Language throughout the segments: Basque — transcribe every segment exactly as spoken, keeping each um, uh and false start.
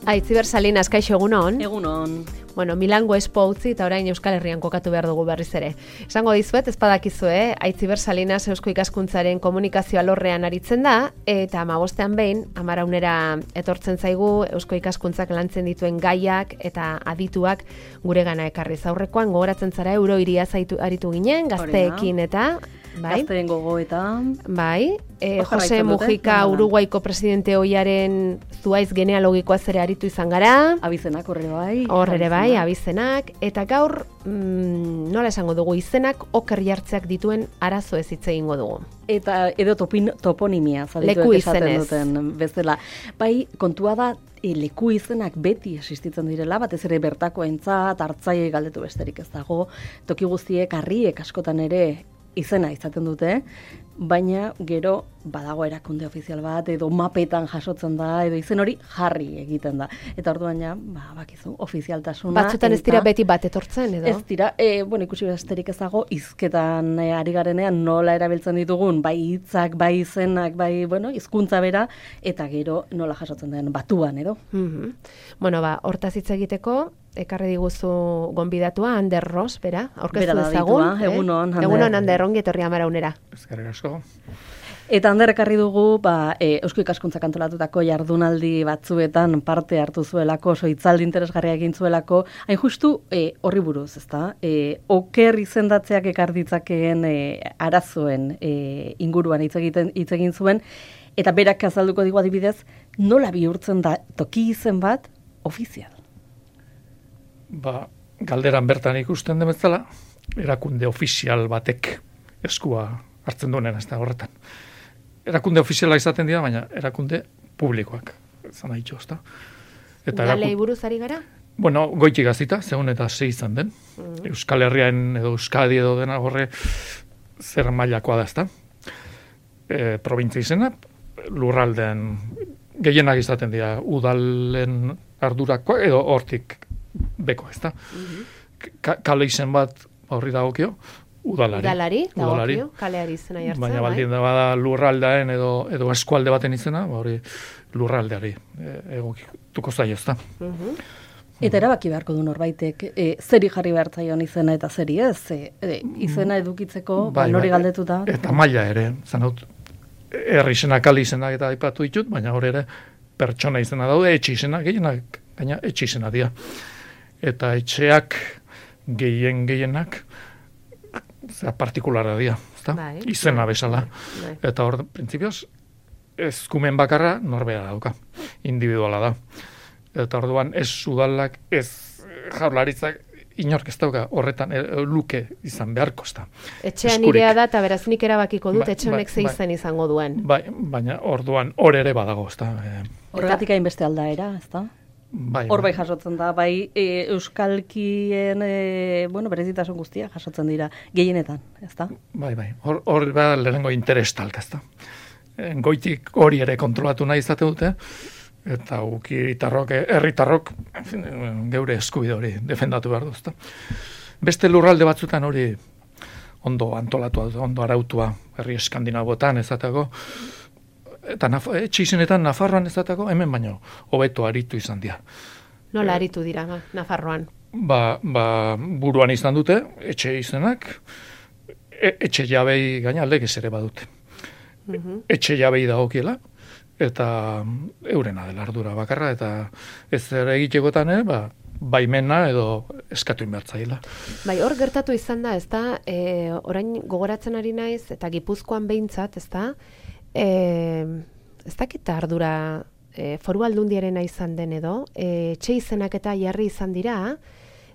Aitziber Salinas, kaixo egunon. Egunon. Bueno, Milango Expo utzi eta orain Euskal Herrian kokatu behar dugu berriz ere. Esango dizuet, ez badakizue, Aitziber Salinas Eusko Ikaskuntzaren komunikazio alorrean aritzen da, eta hamabostean behin, amaraunera etortzen zaigu Eusko Ikaskuntzak lantzen dituen gaiak eta adituak guregana ekarriz. Aurrekoan gogoratzen zara Euro Hiria zaitu aritu ginen, gazteekin eta... Bai. Gazteen gogoetan. Bai. E, Jose Mujica, Uruguaiko presidente oiaren zuaiz genealogikoa zere aritu izan gara. Abizenak horre bai. Horre bai, abizenak. Eta gaur, mm, nola esango dugu, izenak oker jartzeak dituen arazo ez hitz egingo dugu. Eta edo topin, toponimia, leku izenez. Duten bezala. Bai, kontua da, e, leku izenak beti existitzen direla, batez ere bertakoentzat, hartzaile galdetu besterik ez dago, toki guztiek, harriek askotan ere, izena izaten dute, baina gero badago erakunde ofizial bat, edo mapetan jasotzen da, edo izen hori jarri egiten da. Eta orduan ja, ba, bakizu, ofizialtasuna... Batzutan ez dira beti bat etortzen, edo? Ez dira, e, bueno, ikusi besterik ez dago, hizketan e, ari garenean nola erabiltzen ditugun, bai hitzak, bai izenak, bai, bueno, hizkuntza bera, eta gero nola jasotzen den batuan, edo? Mm-hmm. Bueno, ba, hortaz hitz egiteko, ekarri diguzu gonbidatua, Ander Ros, bera, aurkeztu dezagun. Eh? Egunon, Ander. Egunon, Ander, ongi etorri amaraunera. Eskerrik asko. Eta Ander ekarri dugu, ba, e, Eusko Ikaskuntzak antolatutako jardunaldi batzuetan parte hartu zuelako, soitzaldi interesgarria egin zuelako, hain justu e, horri buruz, ezta? E, oker izendatzeak ekar ditzakeen e, arazoen e, inguruan hitz egiten hitz egin zuen, eta berak azalduko digu adibidez, nola bihurtzen da toki izen bat ofizial. Ba, galderan bertan ikusten den bezala, erakunde ofizial batek eskua hartzen duenen ez da horretan. Erakunde ofiziala izaten dira, baina erakunde publikoak, zan nahi txosta. Galei buruz ari gara? Bueno, goitik gazita, segun eta sei izan den. Mm. Euskal Herrian edo Euskadi edo dena horre zer mailakoa da, ez da. E, provintzia izena, lurraldean gehienak izaten dira udalen ardurako edo hortik beko, ez da. Mm-hmm. Kale izen bat horri dagokio, udalari. Udalari, dagokio, kaleari izena jartzen. Baina baldin da bada lurraldaen edo, edo eskualde baten izena, hori lurraldeari e, egokituko zaio, ez da. Mm-hmm. Eta erabaki beharko du norbaitek, e, zeri jarri behar zaion izena eta zeri ez, e, e, izena edukitzeko, bai, nori bai, galdetuta. Eta maila ere, zanaut, herri izena, kale izenak eta aipatu ditut, baina hori ere pertsona izena daude, etxe izena, gehienak, baina etxe izena dira. Eta etxeak gehien gehienak zera partikulara dira, ezta? Bai, izena bai, bezala. Bai. Eta hor, printzipioz, eskumen bakarra norbera dauka, individuala da. Eta orduan ez udalak, ez jaurlaritzak, inork ez dauka horretan e, luke izan beharko, ezta. Etxean irea da, eta beraz nik erabakiko dut, ba, etxe honek ba, ze ba, izan izango duen. Bai, baina orduan hor ere badago, ezta. E, Horregatik hainbeste aldaera, ezta? Bai, hor bai jasotzen da, bai e, euskalkien e, bueno, berezitasun guztia jasotzen dira, gehienetan, ezta? Bai, bai, hor, hor ba, lehenengo interestalk, ezta. Goitik hori ere kontrolatu nahi izate dute, eta ukiritarrok, herritarrok, geure eskubide hori defendatu behar du, ezta. Beste lurralde batzutan hori ondo antolatua, ondo arautua, herri eskandinabotan ezateko, eta etxe izenetan Nafarroan ezateko, hemen baino hobeto aritu izan dira. Nola aritu dira, ba, Nafarroan? Ba, ba, buruan izan dute, etxe izenak, e, etxe jabei gaina legez ere badute. Mm-hmm. Etxe jabei dagokiela, eta eurena dela ardura bakarra, eta ez ere egitekotan, eh, ba, baimena edo eskatu inbertzaila. Bai, hor gertatu izan da, ez da, e, orain gogoratzen ari naiz, eta Gipuzkoan behintzat, ez da, e, ez dakit ardura e, foru aldundiarena izan den edo, e, etxe izenak eta jarri izan dira,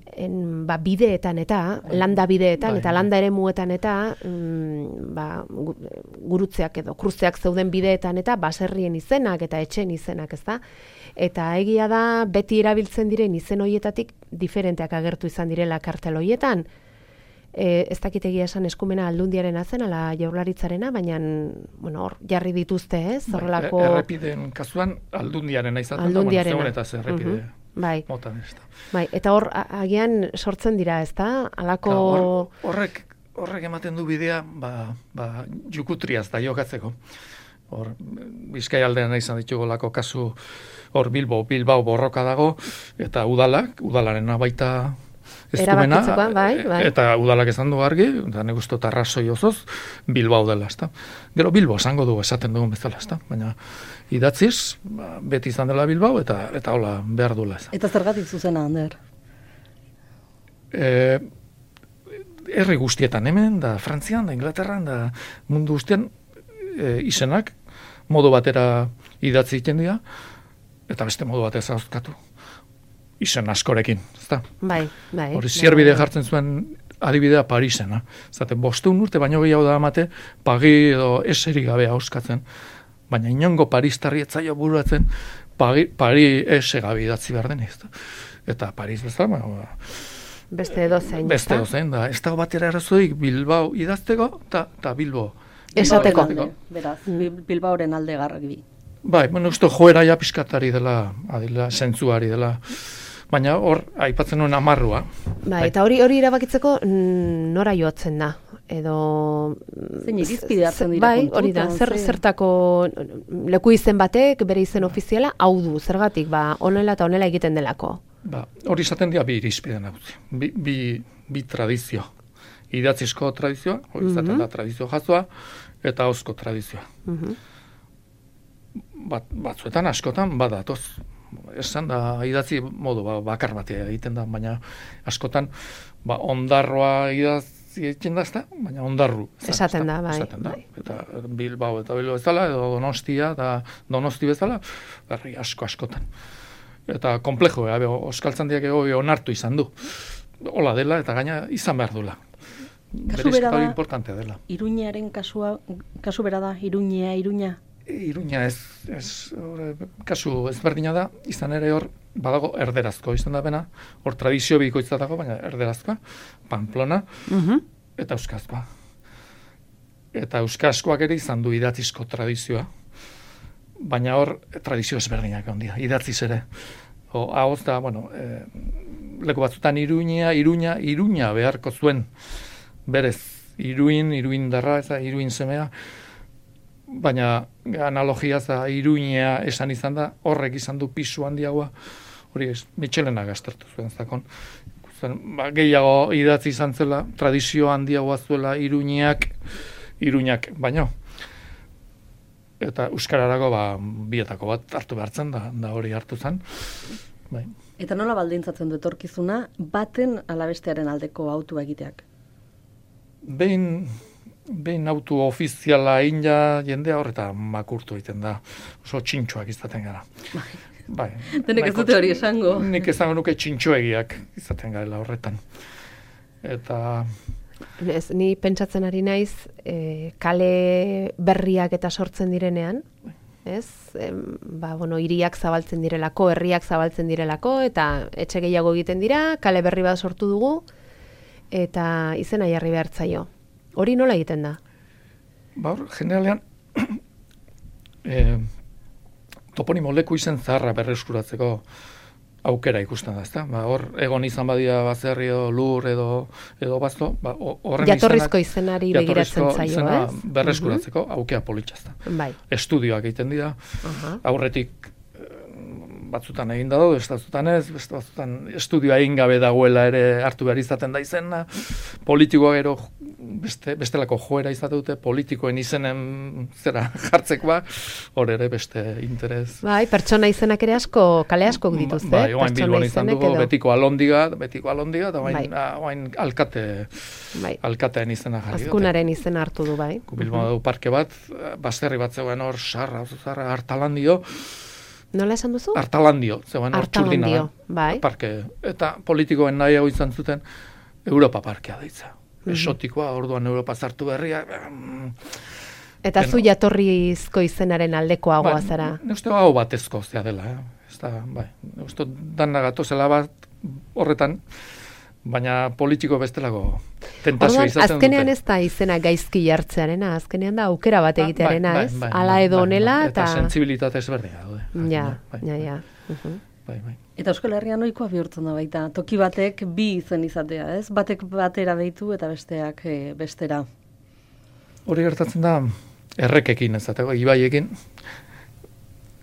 en, ba, bideetan eta, landa bideetan, bai, eta landa ere muetan eta, mm, ba, gurutzeak edo, kruzeak zeuden bideetan eta, baserrien izenak eta etxen izenak, ez da? Eta egia da, beti erabiltzen diren izen hoietatik, diferenteak agertu izan direla kartel hoietan. E, ez dakit egia esan eskumena aldundiaren azen, ala jaurlaritzarena, baina, bueno, hor, jarri dituzte, ez? Horrelako... Bai, errepideen kasuan aldundiaren izaten da, bueno, zegoen eta errepide. Uh-huh. Bai. Motan ez da. Bai, eta hor, agian sortzen dira, ez da? Alako... Hor, horrek, horrek ematen du bidea, ba, ba, jukutriaz da jokatzeko. Hor, Bizkai aldean izan ditugolako kasu, hor Bilbo, Bilbao borroka dago, eta udalak, udalaren baita eskumena, bai, bai. eta udalak esan du argi, eta nik uste arrazoi osoz, Bilbao dela, ezta. Gero Bilbo esango du esaten dugun bezala, ezta. Baina idatziz, ba, beti izan dela Bilbao, eta eta hola behar duela. Ez. Eta zergatik zuzena, Ander? E, herri guztietan hemen, da Frantzian, da Inglaterran, da mundu guztian, e, izenak, modu batera idatzi egiten dira, eta beste modu batez azkatu. Izen askorekin, ezta? Bai, bai. Hori zierbide jartzen zuen adibidea Parisena. Zaten, bosteun urte baino gehiago da amate, pagi edo eseri gabe hauskatzen. Baina inongo Paristarri etzaio buruatzen, pagi, pari ese gabe idatzi behar den, ezta? Eta Paris bezala, ba, beste dozein. Beste dozein, da. Ez dago batera arazoik Bilbao idazteko, eta Bilbo. Esateko. Beraz, Bilbaoren alde garbi. Bai, bueno, uste joera ja piskatari dela, adila, zentzuari dela, baina hor, aipatzen nuen amarrua. Bai, eta hori hori erabakitzeko nora joatzen da, edo... Zein irizpide hartzen dira bai, hori da, zer, zertako leku izen batek, bere izen ofiziala, hau du, zergatik, ba, honela eta honela egiten delako. Ba, hori izaten dira bi irizpide nagusi, bi, bi, bi tradizio. Idatzizko tradizioa, hori izaten mm-hmm. da tradizio jazoa, eta ahozko tradizioa. Mm-hmm. Bat, batzuetan askotan badatoz. Esan da idatzi modu ba, bakar batea egiten da, baina askotan ba, ondarroa idatzi egiten da, ezta? Baina ondarru. Esaten da, bai. Esaten da. Bai. Eta Bilbao eta Bilbao bezala, edo Donostia eta Donosti bezala, herri asko askotan. Eta komplejo, eh? Euskaltzan diak ego onartu izan du. Hola dela eta gaina izan behar dula. Kasu bera da, importantea dela. Iruñaren kasua, kasu bera da, Iruñea, Iruña? Iruña ez, ez or, kasu ezberdina da, izan ere hor, badago erderazko izan da bena, hor tradizio bikoitza dago, baina erderazkoa, Pamplona, uh-huh. eta euskazkoa. Eta euskazkoak ere izan du idatzizko tradizioa, baina hor tradizio ezberdinak ondia, idatziz ere. O, ahoz da, bueno, e, leku batzutan Iruña, Iruña, Iruña beharko zuen, berez, Iruin, Iruindarra, ez da, Iruin semea, baina analogia za Iruña esan izan da, horrek izan du pisu handiagoa, hori ez, Michelena gaztertu zuen zakon. Ba, gehiago idatzi izan zela, tradizio handiagoa zuela Iruñak, Iruñak, baino. Eta euskararako ba, bietako bat hartu behartzen, da, da hori hartu zen. Bai. Eta nola baldintzatzen du etorkizuna, baten alabestearen aldeko autua egiteak? Behin... Behin auto ofiziala inja jendea horreta makurtu egiten da. Oso txintxoak izaten gara. Bai. Denek ez dute hori esango. Nik esango nuke txintxoegiak izaten garela horretan. Eta... Ez, ni pentsatzen ari naiz, e, kale berriak eta sortzen direnean, ez? E, ba, bueno, hiriak zabaltzen direlako, herriak zabaltzen direlako, eta etxe gehiago egiten dira, kale berri bat sortu dugu, eta izena jarri behar zaio. Hori nola egiten da? Ba, hor, generalean, e, toponimo leku izen zaharra berreskuratzeko aukera ikusten da, ezta? Ba, hor, egon izan badia bazerri edo lur edo, edo bazto, ba, horren jatorrizko izenak, izenari begiratzen zaio, izena ez? Berreskuratzeko uh-huh. aukera politxazta. Bai. Estudioak egiten dira, uh-huh. aurretik batzutan egin dago, beste batzutan ez, beste batzutan estudioa egin gabe dagoela ere hartu behar izaten da izena, politikoa gero beste, bestelako joera izate dute, politikoen izenen zera jartzekoa, hor ere beste interes. Bai, pertsona izenak ere asko, kale askok dituzte. Bai, oain Bilbon izan dugu, edo. betiko alondiga, betiko alondiga, eta oain, bai. oain alkate, bai. alkateen izena jarri. Azkunaren izena hartu du, bai. Bilbon uh-huh. du parke bat, baserri bat zegoen hor, sarra, zarra, hartalandio, nola esan duzu? Artalandio, zegoen hor txurdina. Bai. Parke. Eta politikoen nahiago izan zuten Europa parkea deitza. Mm-hmm. Esotikoa, orduan Europa zartu berria. Eta zu jatorrizko izenaren aldekoagoa ba, zara? Ne uste hau batezko zea dela. Eh? Ez da, bai. Ne uste dana gatozela bat horretan, baina politiko bestelako tentazio izaten dute. Azkenean ez da izena gaizki jartzearena, azkenean da aukera bat egitearena, ba, ez? Bai, bai, Ala edo honela bai, bai. eta... Eta sentsibilitate ezberdina daude. Ja, bai, ja, ja. Bai, uh-huh. bai, bai. Eta Euskal Herrian ohikoa bihurtzen da baita, toki batek bi izen izatea, ez? Batek batera behitu eta besteak e, bestera. Hori gertatzen da, errekekin ezateko, ibaiekin,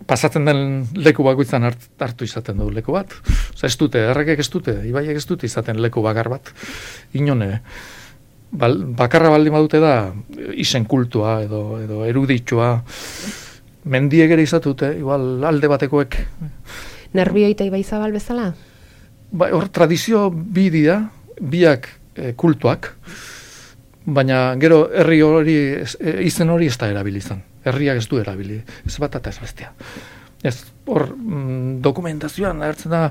pasatzen den leku bakoitzan hart, hartu izaten du leku bat. Oza, ez dute, errekek ez dute, ibaiek ez dute izaten leku bakar bat. Inone, bal, bakarra baldin badute da, izen kultua edo, edo eruditxoa, mendiek ere izatute, igual alde batekoek. Nerbioi eta Ibai Zabal bezala? Ba, hor, tradizio bi dira, biak e, kultuak, baina gero herri hori, e, izen hori ez da erabili izan. Herriak ez du erabili, ez bat eta ez bestea. Ez, hor, mm, dokumentazioan agertzen da,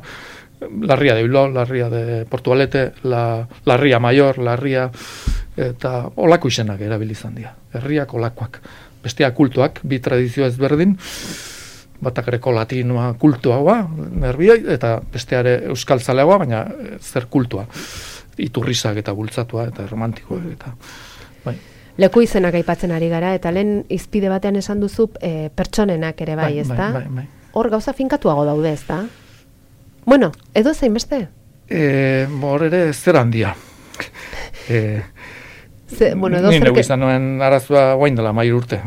Larria de Bilbao, Larria de Portugalete, la, Larria Mayor, Larria, eta olako izenak erabili izan dira. Herriak olakoak. Bestea kultuak, bi tradizio ezberdin, batak greko latinoa kultuagoa, nerbioi, eta besteare euskal zaleagoa, baina zer kultua. Iturrizak eta bultzatua, eta romantikoa, eta bai. Leku izenak aipatzen ari gara, eta lehen izpide batean esan duzu e, pertsonenak ere bai, bai ez da? Bai, bai, bai. Hor gauza finkatuago daude, ez da? Bueno, edo zein beste? E, hor ere zer handia. E, Ze, bueno, edo Ni zerke... neu izan nuen arazua guain dela mair urte.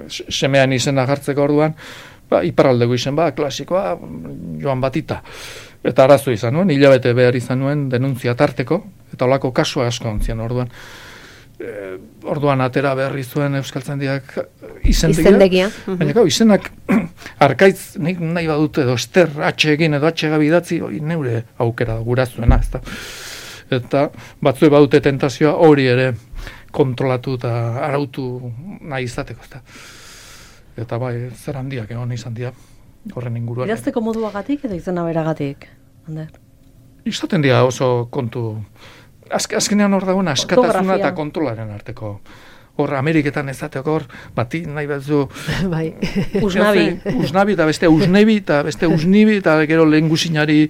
Semean izena jartzeko orduan, ba, iparraldeko izen ba, klasikoa, Joan Batita. Eta arazo izan nuen, hilabete behar izan nuen denuntzia tarteko, eta olako kasua asko ontzian orduan. E, orduan atera berri zuen Euskaltzaindiak izendegia. Izendegia. Baina gau, izenak arkaitz nik nahi badute edo ester H egin edo H gabi idatzi, hori neure aukera gura zuena, ezta. Eta batzue badute tentazioa hori ere kontrolatu eta arautu nahi izateko, ezta. Eta bai, zer handiak egon izan dira horren inguruan. Idazteko moduagatik edo izena beragatik, Ander? Izaten dira oso kontu. Azk, azkenean hor dagoen askatasuna eta kontrolaren arteko. Hor Ameriketan ezateko hor, bati nahi batzu... Bai. Usnabi. Usnabi eta beste usnebi eta beste usnibi eta gero lehen guzinari...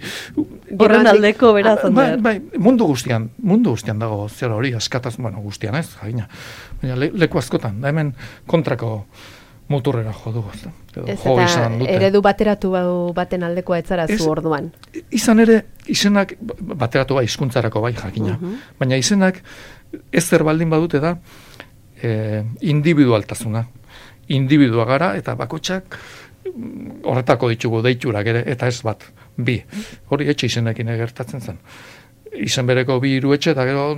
Horren aldeko beraz, Ander. Bai, bai, mundu guztian, mundu guztian dago zer hori, askatasun, bueno, guztian ez, jagina. Baina le, leku askotan, da hemen kontrako muturrera jo dugu. Ez eta eredu bateratu baten aldekoa etzara zu orduan. Izan ere, izenak bateratu bai hizkuntzarako bai jakina. Uh -huh. Baina izenak ez zer baldin badute da e, individualtasuna. Individua gara eta bakotxak horretako ditugu deiturak ere, eta ez bat, bi. Hori etxe izenekin gertatzen zen. Izen bereko bi hiru etxe eta gero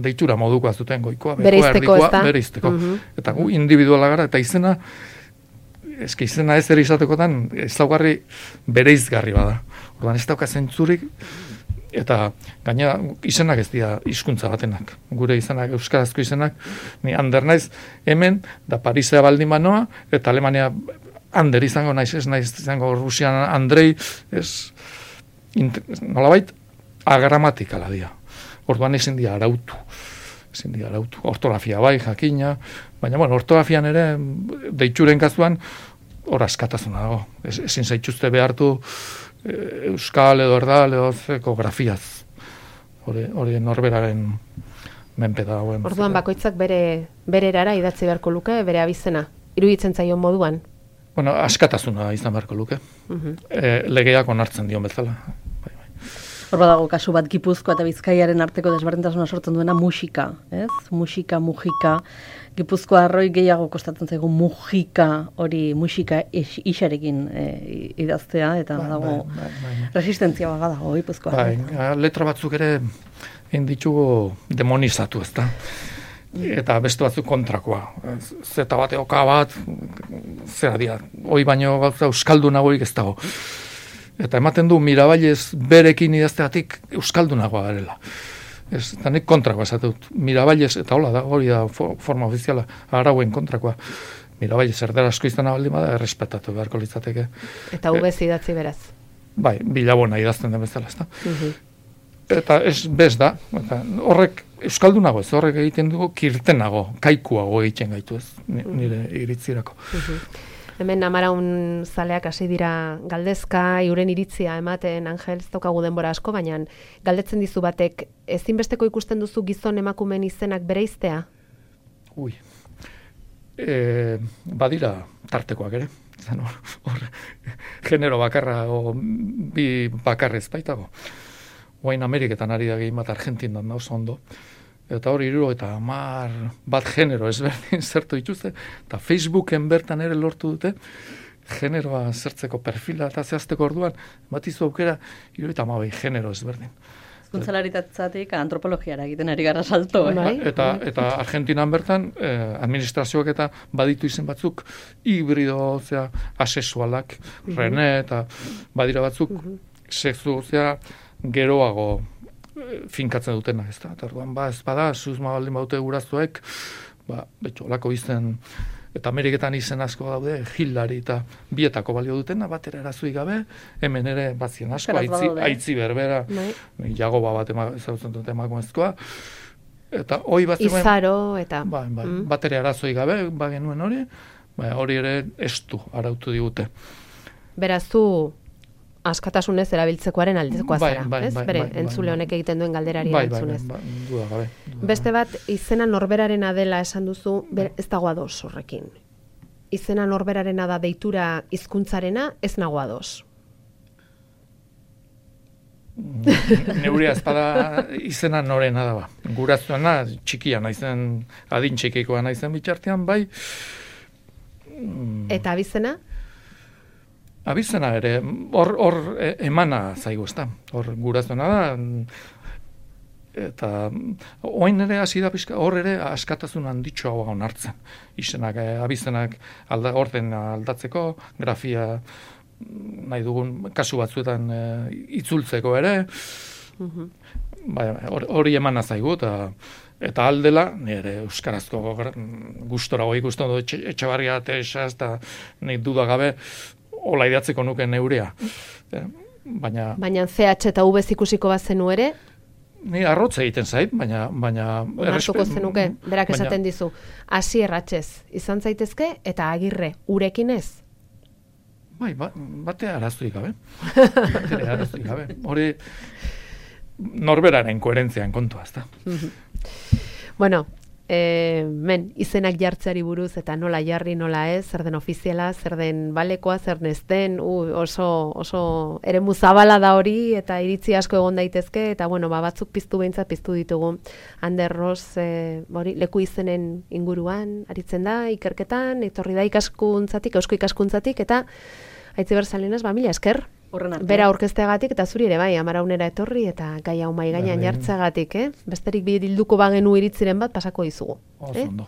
deitura modukoa zuten goikoa, bereizteko, ez da? Bereizteko. Uh -huh. Eta gu individuala gara, eta izena eski izena ez ere izatekotan ezaugarri bereizgarri bada. Orduan ez dauka zentzurik, eta gainera izenak ez dira hizkuntza batenak. Gure izenak, euskarazko izenak, ni Ander naiz hemen, da Parisea baldin banoa, eta Alemania Ander izango naiz, ez naiz izango Rusian Andrei, ez nolabait agramatikala dira. Orduan ezin dira arautu. Ezin dira arautu. Ortografia bai, jakina, baina bueno, ortografian ere deitxuren kasuan hor askatasuna dago. Ez, ezin zaituzte behartu e, euskal edo erdal edo ekografiaz. Hori, hori norberaren menpe dagoen. Orduan bakoitzak bere bere erara idatzi beharko luke, bere abizena. Iruditzen zaion moduan. Bueno, askatasuna izan beharko luke. Uh -huh. e, legeak onartzen dion bezala. Bai, bai. Hor badago kasu bat Gipuzkoa eta Bizkaiaren arteko desberdintasuna sortzen duena musika, ez? Musika, mujika. Gipuzkoa arroi gehiago kostatzen zaigu mujika, hori musika isarekin e, idaztea, eta bai, dago bai, bai, bai. resistentzia baga dago Gipuzkoa. Bai, letra batzuk ere egin ditugu demonizatu, ez da? Eta beste batzuk kontrakoa. Zeta bate oka bat, zera dira, hoi baino gauza euskaldunagorik ez dago. Eta ematen du Mirabailez berekin idazteatik euskaldunagoa garela. Ez, eta nik kontrakoa esatut. Mirabailez, eta hola da, hori da forma ofiziala, arauen kontrakoa. Mirabailez erderazko izan baldin bada, errespetatu beharko litzateke. Eta ubez idatzi beraz. Bai, bilabona idazten den bezala, ez da. Uh-huh. Eta ez bez da, eta horrek euskaldunago ez, horrek egiten dugu kirtenago, kaikuago egiten gaitu ez, nire iritzirako. Uh-huh. Hemen Amaraun zaleak hasi dira galdezka, euren iritzia ematen, Angel, ez daukagu denbora asko, baina galdetzen dizu batek, ezinbesteko ikusten duzu gizon emakumeen izenak bereiztea? Ui, e, badira tartekoak ere, zan hor, hor, genero bakarra, o bi bakarrez baitago. Oain Ameriketan ari da gehi bat Argentindan da oso ondo, eta hori hiru eta hamar bat genero ezberdin zertu dituzte, eta Facebooken bertan ere lortu dute, generoa zertzeko perfila eta zehazteko orduan, bat izu aukera, hiru eta hamabi genero ezberdin. Hizkuntzalaritzatik antropologiara egiten ari gara salto. Eh? Bai. Eta, eta Argentinan bertan, eh, administrazioak eta baditu izen batzuk, hibrido, zera, asexualak, uh-huh. Rene, eta badira batzuk, uh-huh. sexu, zera, geroago eh, finkatzen dutena, ez da. Eta orduan, ba, ez bada, susma baldin baute guraztuek, ba, betxo, lako izen, eta Ameriketan izen asko daude, Hillary eta bietako balio dutena, batera erazui gabe, hemen ere bazien asko, aitzi, aitzi berbera, jagoba bat ezagutzen dut emakumezkoa, eta hoi bat zegoen... Izaro, eta... Ba, ba, mm. batera erazoi gabe, ba genuen hori, ba, hori ere estu arautu digute. Beraz, zu askatasunez erabiltzekoaren aldekoa bai, zera, bai, ez? bai, Bere, bai, entzule bai, honek egiten duen galderari bai, erantzunez. Bai, bai, duda gabe. Duda Beste gabe. bat, izena norberarena dela esan duzu, ber, ez dago ados horrekin. Izena norberarena da deitura hizkuntzarena, ez nago ados. Neurea ezpada izena norena da ba. Guraztuena txikia naizen, adin txikikoa naizen bitxartean, bai. Eta abizena? Abizena ere, hor, hor emana zaigu, ezta. Hor guraztuena da, eta oain ere hasi da pixka, hor ere askatasun handitxo hau onartzen. Izenak, abizenak alda, orden aldatzeko, grafia nahi dugun kasu batzuetan e, itzultzeko ere, Uh-huh. bai, hori emana zaigu, eta eta aldela, nire euskarazko gustora hoi ikusten dut Etxebarria Teresa, eta nik duda gabe, hola idatzeko nuke neurea. Baina... Baina C H eta V ikusiko bazenu ere, ni arrotza egiten zait, baina... baina onartuko zenuke, berak baina, esaten dizu, hasi erratxez, izan zaitezke, eta agirre, urekin ez? Bai, ba, bate arazuik gabe. Bate arazuik gabe. Hori norberaren koherentzian kontua, ezta. Bueno, e, men, izenak jartzeari buruz, eta nola jarri, nola ez, zer den ofiziala, zer den balekoa, zer nezten, uh, oso, oso eremu zabala da hori, eta iritzi asko egon daitezke, eta bueno, ba, batzuk piztu behintzat piztu ditugu. Ander Ros, e, hori, leku izenen inguruan, aritzen da, ikerketan, etorri da ikaskuntzatik, eusko ikaskuntzatik, eta Aitziber Salinas, ba, mila esker. Bera aurkezteagatik eta zuri ere bai, amaraunera etorri eta gai hau mai gainean jartzeagatik, eh? Besterik bilduko bagenu iritziren bat pasako dizugu. Oso ondo.